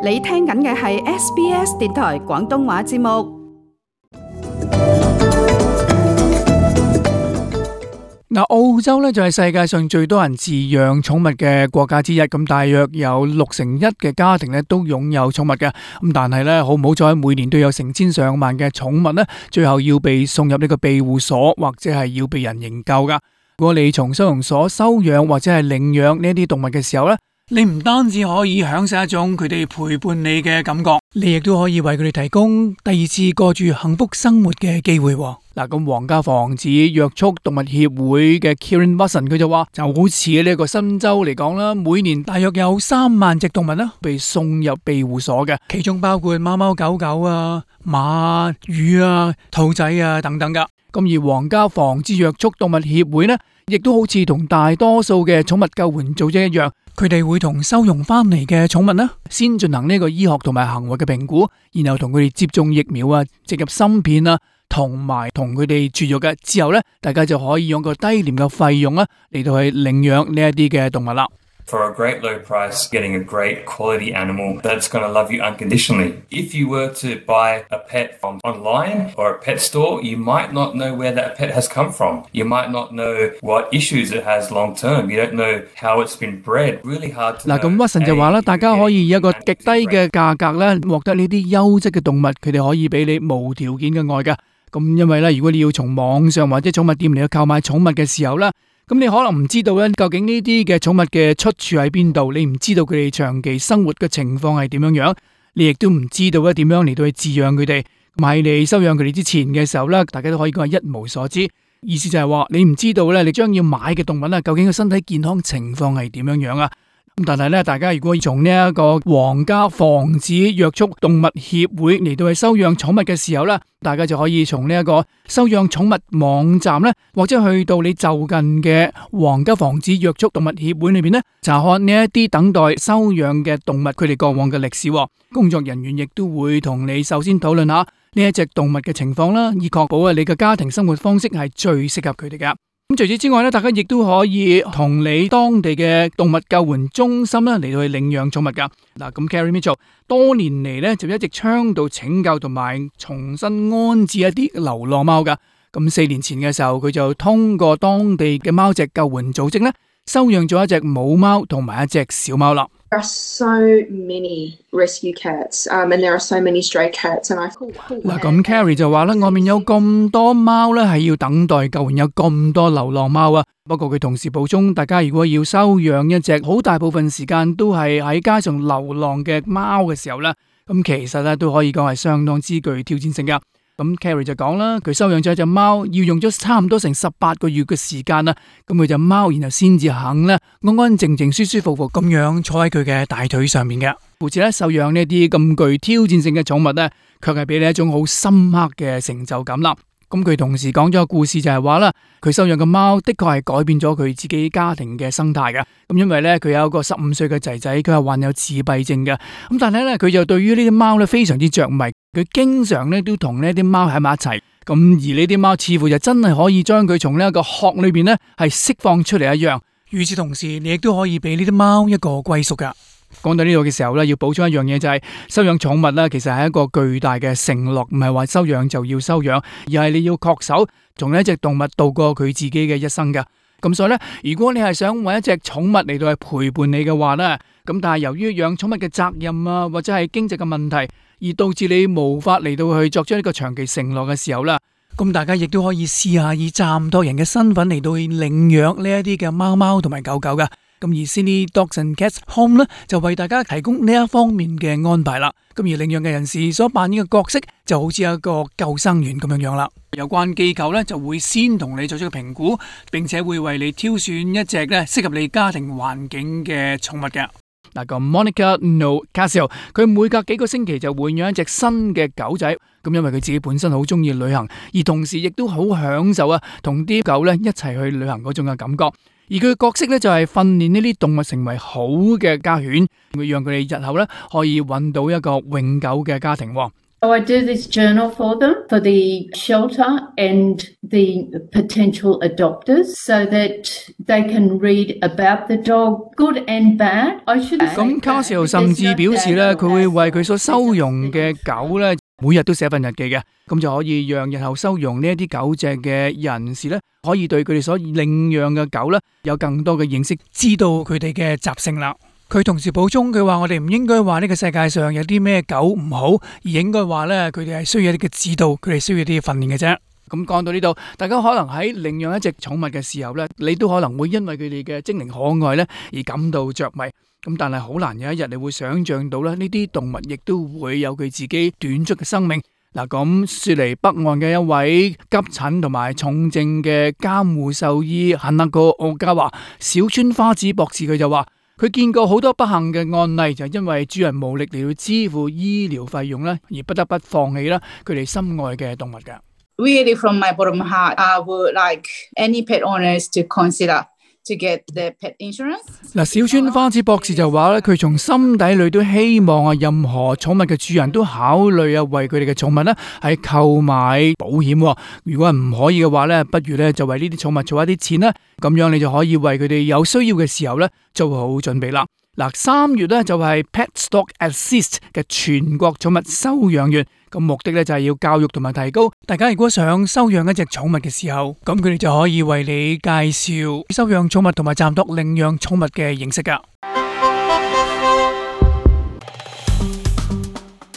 你聽緊嘅係 SBS 電台廣東話節目。澳洲咧就係世界上最多人飼養寵物嘅國家之一，咁大約有61%嘅家庭咧都擁有寵物嘅。咁但係咧好唔好彩，每年都有成千上萬嘅寵物咧，最後要被送入呢個庇護所，或者係要被人營救噶。如果你從收容所收養或者係領養呢啲動物嘅時候咧，你唔單止可以享受一種佢哋陪伴你嘅感覺，你亦都可以為佢哋提供第二次過住幸福生活嘅機會。嗱，咁皇家防止約束動物協會嘅 Kieran Watson 佢就話，就好似呢個新州嚟講啦，每年大約有3萬隻動物啦被送入庇護所嘅，其中包括貓貓狗狗啊、馬、魚啊、兔仔啊等等噶。咁而皇家防止約束動物協會呢，亦都好似同大多數嘅寵物救援組織一樣，佢哋會同收容翻嚟嘅寵物呢，先進行呢個醫學同埋行為嘅評估，然後同佢哋接種疫苗啊、植入芯片啊，同埋同佢哋絕育嘅之後呢，大家就可以用個低廉嘅費用啊嚟到去領養呢一啲嘅動物啦。For a great low price, getting a great quality animal that's going to love you unconditionally. If you were to buy a pet from online or a pet store, you might not know where that pet has come from. You might not know what issues it has long term. You don't know how it's been bred. Really hard to know. 嗱，咁Watson就話啦，大家可以以一個極低嘅價格咧，獲得呢啲優質嘅動物，佢哋可以俾你無條件嘅愛㗎。咁因為咧，如果你要從網上或者寵物店嚟去購買寵物嘅時候咧，咁你可能唔知道咧，究竟呢啲嘅寵物嘅出處喺邊度？你唔知道佢哋長期生活嘅情況係點樣樣，你亦都唔知道咧點樣嚟到去飼養佢哋。咁喺你收養佢哋之前嘅時候咧，大家都可以講係一無所知。意思就係話，你唔知道咧，你將要買嘅動物咧，究竟個身體健康情況係點樣樣啊？咁但係咧，大家如果從呢一個皇家防止約束動物協會嚟到去收養寵物嘅時候咧，大家就可以從呢一個收養寵物網站咧，或者去到你就近嘅皇家防止約束動物協會裏邊咧，查看呢一啲等待收養嘅動物佢哋過往嘅歷史。工作人員亦都會同你首先討論下呢一隻動物嘅情況啦，以確保你嘅家庭生活方式係最適合佢哋噶。咁除此之外咧，大家亦都可以同你當地嘅動物救援中心咧嚟到去領養寵物噶。嗱，咁 Carrie Mitchell 多年嚟咧就一直倡導拯救同埋重新安置一啲流浪貓噶。咁4年前嘅時候，佢就通過當地嘅貓隻救援組織咧，收養咗一隻母貓同埋一隻小貓啦。There are so many rescue cats, and there are so many stray cats, and I feel 嗱，咁 Carrie 就話啦，外面有咁多貓咧，係要等待救援，有咁多流浪貓啊。不過佢同時補充，大家如果要收養一隻好大部分時間都係喺街上流浪嘅貓嘅時候咧，咁其實咧都可以講係相當之具挑戰性噶。咁 Carrie 就講啦，佢收養咗一隻貓，要用咗差唔多成18個月嘅時間啦。咁佢隻貓然後先至肯咧安安靜靜、舒舒服服咁樣坐喺佢嘅大腿上面嘅。故此咧，收養呢啲咁具挑戰性嘅寵物咧，卻係俾你一種好深刻嘅成就感啦。咁佢同時講咗個故事就係話啦，佢收養嘅貓的確係改變咗佢自己家庭嘅生態嘅。咁因為咧佢有一個15歲嘅仔仔，佢係患有自閉症嘅。咁但係咧佢就對於呢啲貓咧非常之着迷，佢經常咧都同呢啲貓喺埋一齊。咁而呢啲貓似乎就真係可以將佢從呢一個殼裏邊咧係釋放出嚟一樣。與此同時，你亦都可以俾呢啲貓一個歸屬噶。講到呢度嘅時候咧，要補充一樣嘢就係收養寵物咧，其實係一個巨大嘅承諾，唔係話收養就要收養，而係你要恪守同呢一隻動物度過佢自己嘅一生噶。咁所以咧，如果你係想搵一隻寵物嚟到去陪伴你嘅話咧，咁但係由於養寵物嘅責任啊，或者係經濟嘅問題，而導致你無法嚟到去作出呢個長期承諾嘅時候啦，咁大家亦都可以試下以暫託人嘅身份嚟到去領養呢一啲嘅貓貓同埋狗狗噶。咁而 Sydney Dogs and Cats Home 咧就為大家提供呢一方面嘅安排啦。咁而領養嘅人士所扮演嘅角色就好似一個救生員咁樣樣啦。有關機構咧就會先同你做出個評估，並且會為你挑選一隻咧適合你家庭環境嘅寵物嘅。嗱，咁 Monica No Casio 佢每隔幾個星期就會養一隻新嘅狗仔。咁因為佢自己本身好中意旅行，而同時亦都好享受啊同啲狗咧一齊去旅行嗰種嘅感覺。而佢嘅角色咧就係訓練呢啲動物成為好嘅家犬，會讓佢哋日後咧可以揾到一個永久嘅家庭。So I do this journal for them, for the shelter and the potential adopters, so that they can read about the dog, good and bad. I should say 咁 Casio 甚至表示咧，佢會為佢所收容嘅狗咧，每日都寫份日記嘅，咁就可以讓日後收容呢一啲狗隻嘅人士咧，可以對佢哋所領養嘅狗咧有更多嘅認識，知道佢哋嘅習性啦。佢同時補充，佢話我哋唔應該話呢個世界上有啲咩狗唔好，而應該話咧佢哋係需要一啲嘅指導，佢哋需要一啲訓練嘅啫。咁講到呢度，大家可能喺領養一隻寵物嘅時候咧，你都可能會因為佢哋嘅精靈可愛咧而感到着迷。咁但係好難有一日你會想像到咧，呢啲動物亦都會有佢自己短促嘅生命。嗱，咁雪梨北岸嘅一位急診同埋重症嘅監護獸醫肯納哥奧加話，小川花子博士佢就話，佢見過好多不幸嘅案例，就因為主人無力嚟到支付醫療費用咧，而不得不放棄啦佢哋心愛嘅動物嘅。Really, from my bottom of my heart, I would like any pet owners to consider to get the pet insurance. 嗱，小川花子博士就話咧，佢從心底裏都希望啊，任何寵物嘅主人都考慮啊，為佢哋嘅寵物咧係購買保險。如果唔可以嘅話咧，不如咧就為呢啲寵物儲一啲錢啦，咁樣你就可以為佢哋有需要嘅時候咧做好準備啦。嗱，3月咧就係 Pet Stock Assist 嘅全國寵物收養月，咁目的咧就係要教育同埋提高大家，如果想收養一隻寵物嘅時候，咁佢哋就可以為你介紹收養寵物同埋暫託領養寵物嘅認識噶。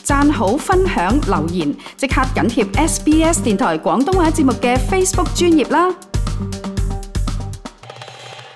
讚好、分享、留言，即刻緊貼SBS 電台廣東話節目嘅 Facebook 專頁啦！